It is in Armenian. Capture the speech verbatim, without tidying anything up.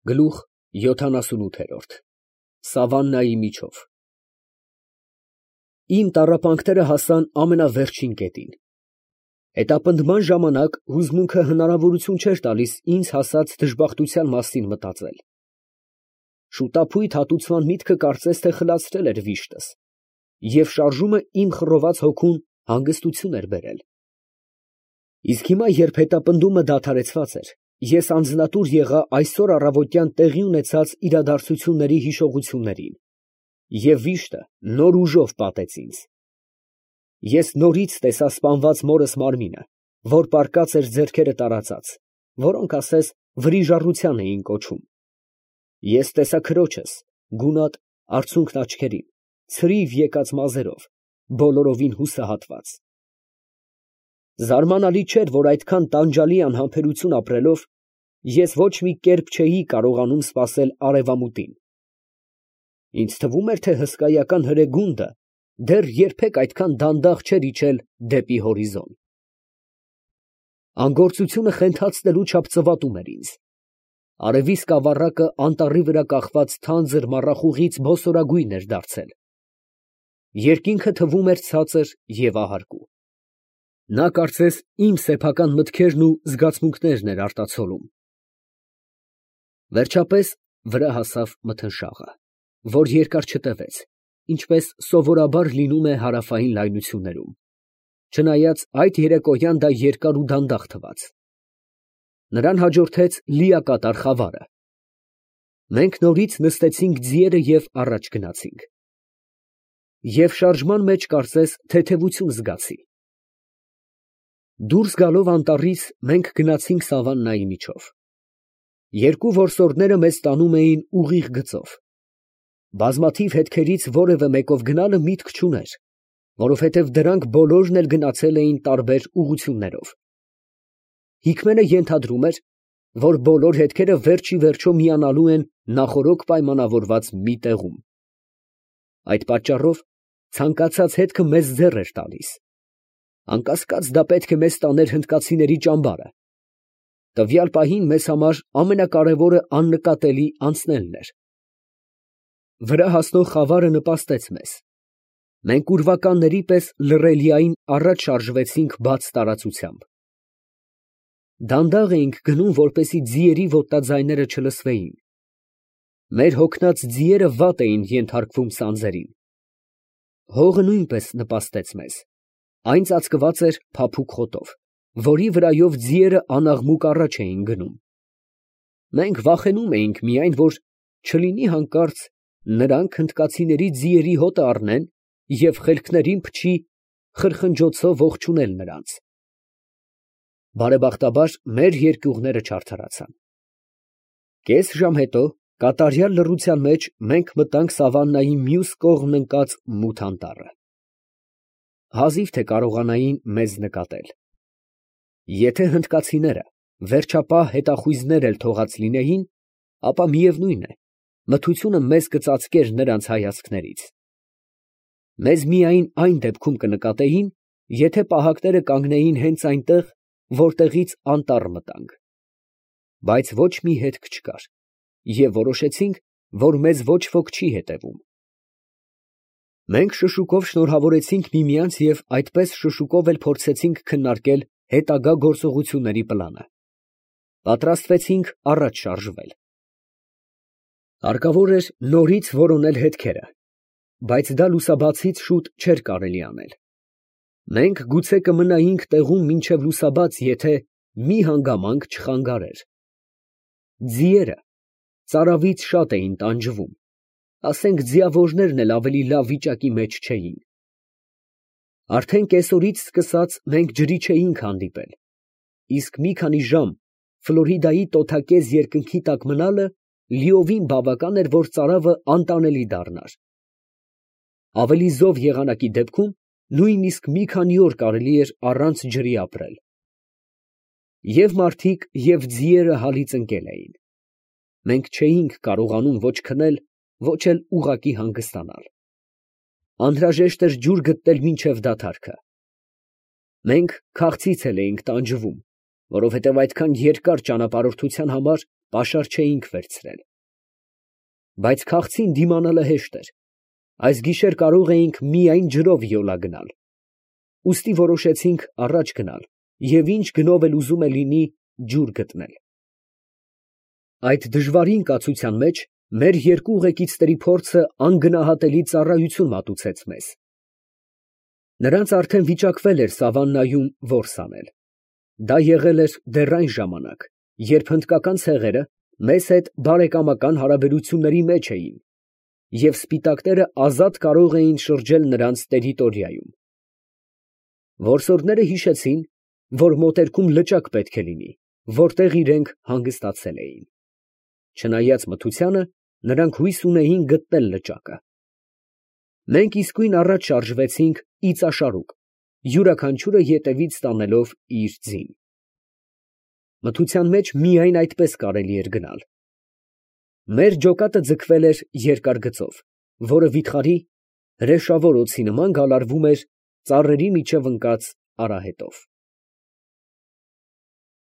Գլուխ յոթանասունութ Սավաննայի միջով Իմ տառապանքները հասան ամենավերջին կետին։ Հետապնդման ժամանակ հուզմունքը հնարավորություն չէր տալիս ինձ հասած դժբախտության մասին մտածել։ Շուտափույթ հատուցման միտքը կարծես թե խլացրել էր վիշտս, և շարժումը իմ խռոված հոգուն հանգստություն էր բերել։ Իսկ հիմա, երբ հետապնդումը դադարեցված էր, ես անձնատուր եղա այսօր առավոտյան տեղի ունեցած իրադարձությունների հիշողություններին, և վիշտը նոր ուժով պատեց ինձ։ Ես նորից տեսա սպանված մորս մարմինը, որ պառկած էր ձեռքերը տարածած, որոնք ասես վրիժառության էին կոչում։ Ես տեսա քրոջս, գունատ, արցունքն աչքերին, ցրիվ եկած մազերով, բոլորովին հուսահատված։ Զարմանալի չէր, որ այդքան տանջալի անհամբերություն ապրելով, ես ոչ մի կերպ չէի կարողանում սպասել արևամուտին։ Ինձ թվում էր, թե հսկայական հրեգունդը դեռ երբեք այդքան դանդաղ չէր իջել դեպի հորիզոն։ Անգործությունը խենթացնելու չափ ծվատում էր ինձ։ Արևի սկավառակը անտառի վրա կախված թանձր մառախուղից բոսորագույն էր դարձել։ Երկինքը թվում էր ցածր և ահարկու։ Նա կարծես իմ սեփական մտքերն ու զգացմունքներն էր արտացոլում։ Վերջապես վրա հասավ մթնշաղը, որ երկար չտևեց, ինչպես սովորաբար լինում է հարավային լայնություններում, չնայած այդ երեկոյան դա երկար ու դանդաղ թվաց։ Նրան հաջորդեց լիակատար խավարը։ Մենք նորից նստեցինք ձիերը և առաջ գնացինք։ Եվ շարժման մեջ կարծես թեթևություն զգացի։ Դուրս գալով անտառից մենք գնացինք սավաննայի միջով։ Երկու որսորդները մեզ տանում էին ուղիղ գծով։ Բազմաթիվ հետքերից որևէ մեկով գնալը միտք չուներ, որովհետև դրանք բոլորն էլ գնացել էին տարբեր ուղղություններով։ Հիկմենը ենթադրում էր, որ բոլոր հետքերը վերջ ի վերջո միանալու են նախօրոք պայմանավորված մի տեղում։ Այդ պատճառով ցանկացած հետքը մեզ ձեռ էր տալիս։ Անկասկած դա պետք է մեզ տաներ հնդկացիների ճամբարը։ Տվյալ պահին մեզ համար ամենակարևորը աննկատելի անցնելն էր։ Վրա հասնող խավարը նպաստեց մեզ։ Մենք ուրվականների պես լռելիային առաջ շարժվեցինք բաց տարածությամբ։ Դանդաղ էինք գնում, որպեսզի ձիերի ոտնաձայները չլսվեին։ Մեր հոգնած ձիերը վատ էին ենթարկվում սանձերին։ Հողը նույնպես նպաստեց մեզ։ Այն ծածկված էր փափուկ խոտով, որի վրայով ձիերը անաղմուկ առաջ էին գնում։ Մենք վախենում էինք միայն, որ չլինի հանկարծ նրանք հնդկացիների ձիերի հոտը առնեն և խելքներին փչի խրխնջոցով ողջունել նրանց։ Բարեբախտաբար մեր երկյուղները չարդարացան։ Կես ժամ հետո կատարյալ լռության մեջ մենք մտանք սավաննայի մյուս կողմն ընկած մութ անտառը։ Հազիվ թե կարողանային մեզ նկատել։ Եթե հնդկացիները վերջապահ հետախույզներ էլ թողած լինեին, ապա միևնույն է, մթությունը մեզ կծածկեր նրանց հայացքներից։ Մեզ միայն այն դեպքում կնկատեին, եթե պահակները կանգնեին հենց այնտեղ, որտեղից անտառ մտանք։ Բայց ոչ մի հետք չկար, և որոշեցինք, որ մեզ ոչ ոք չի հետևում։ Մենք շշուկով շնորհավորեցինք միմյանց և այդպես շշուկով էլ փորձեցինք քննարկել հետագա գործողությունների պլանը։ Պատրաստվեցինք առաջ շարժվել։ Հարկավոր էր նորից որոնել հետքերը, բայց դա լուսաբացից շուտ չէր կարելի անել։ Մենք գուցե կմնայինք տեղում մինչև լուսաբաց, եթե մի հանգամանք չխանգարեր։ Ձիերը ծարավից շատ էին տանջվում, ասենք ձիավորներն էլ ավելի լավ վիճակի մեջ չէին։ Արդեն կեսօրից սկսած մենք ջրի չէինք հանդիպել, իսկ մի քանի ժամ Ֆլորիդայի տոթակեզ երկնքի տակ մնալը լիովին բավական էր, որ ծարավը անտանելի դառնար։ Ավելի զով եղանակի դեպքում նույնիսկ մի քանի օր կարելի էր առանց ջրի ապրել։ Եվ մարդիկ, և ձիերը հալից ընկել էին։ Մենք չէինք կարողանում ոչ քնել, ոչ էլ ուղղակի հանգստանալ։ Անհրաժեշտ էր ջուր գտնել մինչև դադարքը։ Մենք քաղցից էլ էինք տանջվում, որովհետև այդքան երկար ճանապարհորդության համար պաշար չէինք վերցրել։ Բայց քաղցին դիմանալը հեշտ էր, այս գիշեր կարող էինք միայն ջրով յոլա գնալ, ուստի որոշեցինք առաջ գնալ և ինչ գնով էլ ուզում է լինի ջուր գտնել։ Այդ դժվարին կացության մեջ մեր երկու ուղեկիցների փորձը անգնահատելի ծառայություն մատուցեց մեզ։ Նրանց արդեն վիճակվել էր սավաննայում որս անել։ Դա եղել էր դեռ այն ժամանակ, երբ հնդկական ցեղերը մեզ հետ բարեկամական հարաբերությունների մեջ էին, և սպիտակները ազատ կարող էին շրջել նրանց տերիտորիայում։ Որսորդները հիշեցին, որ մոտերքում լճակ պետք է լինի, որտեղ իրենք հանգստացել էին։ Չնայած մթությանը, նրանք հույս ունեին գտնել լճակը։ Մենք իսկույն առաջ շարժվեցինք իծաշարուկ, յուրաքանչյուրը ետևից տանելով իր ձին։ Մթության մեջ միայն այդպես կարելի էր գնալ։ Մեր ջոկատը ձգվել էր երկար գծով, որը վիթխարի, հրեշավոր օձի նման գալարվում էր ծառերի միջև ընկած արահետով։